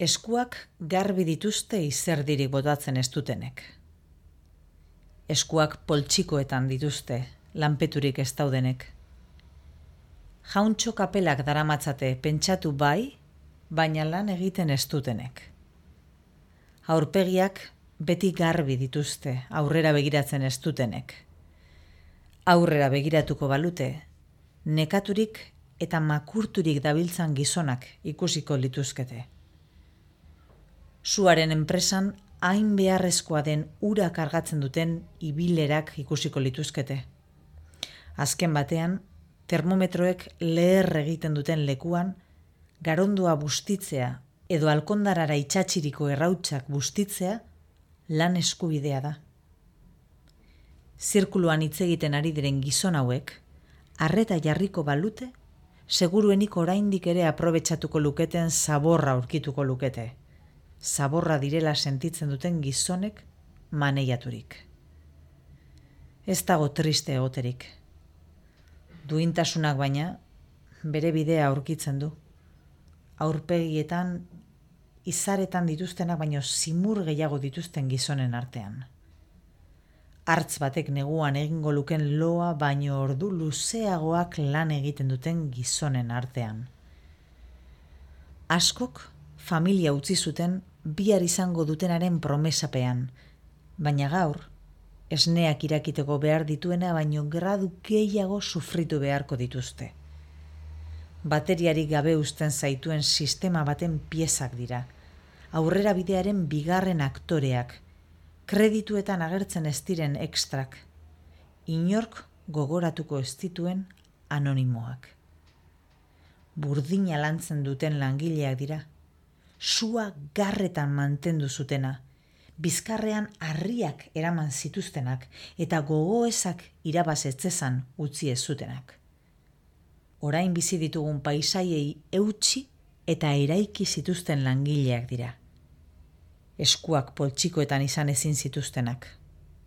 Eskuak garbi dituzte izerdirik botatzen ez dutenek. Eskuak poltsikoetan dituzte, lanpeturik ez daudenek. Jauntxo kapelak daramatzate pentsatu bai, baina lan egiten ez dutenek. Aurpegiak beti garbi dituzte, aurrera begiratzen ez dutenek. Aurrera begiratuko balute, nekaturik eta makurturik dabiltzan gizonak ikusiko lituzkete. Suaren enpresan hain beharrezkoa den ura kargatzen duten ibilerak ikusiko lituzkete. Azken batean, termometroek leher egiten duten lekuan, garondua bustitzea edo alkondarara itsatsiriko errautsak bustitzea lan eskubidea da. Zirkuluan hitz egiten ari diren gizon hauek, arreta jarriko balute, seguruenik oraindik ere aprobetxatuko luketen zaborra aurkituko lukete. Zaborra direla sentitzen duten gizonek maneiaturik. Ez dago triste egoterik. Duintasunak baina bere bidea aurkitzen du. Aurpegietan, izaretan dituztenak baino zimur gehiago dituzten gizonen artean. Hartz batek neguan egingo luken loa baino ordu luzeagoak lan egiten duten gizonen artean. Askok familia utzi zuten bihar izango dutenaren promesapean, baina gaur, esneak irakiteko behar dituena baino gradu gehiago sufritu beharko dituzte. Bateriarik gabe uzten zaituen sistema baten piezak dira, aurrera bidearen bigarren aktoreak, kredituetan agertzen ez diren ekstrak, inork gogoratuko ez dituen anonimoak. Burdina lantzen duten langileak dira, sua garretan mantendu zutena, bizkarrean harriak eraman zituztenak eta gogoezak irabazetzezan utzi ez zutenak. Orain bizi ditugun paisaiei eutsi eta eraiki zituzten langileak dira. Eskuak poltsikoetan izan ezin zituztenak.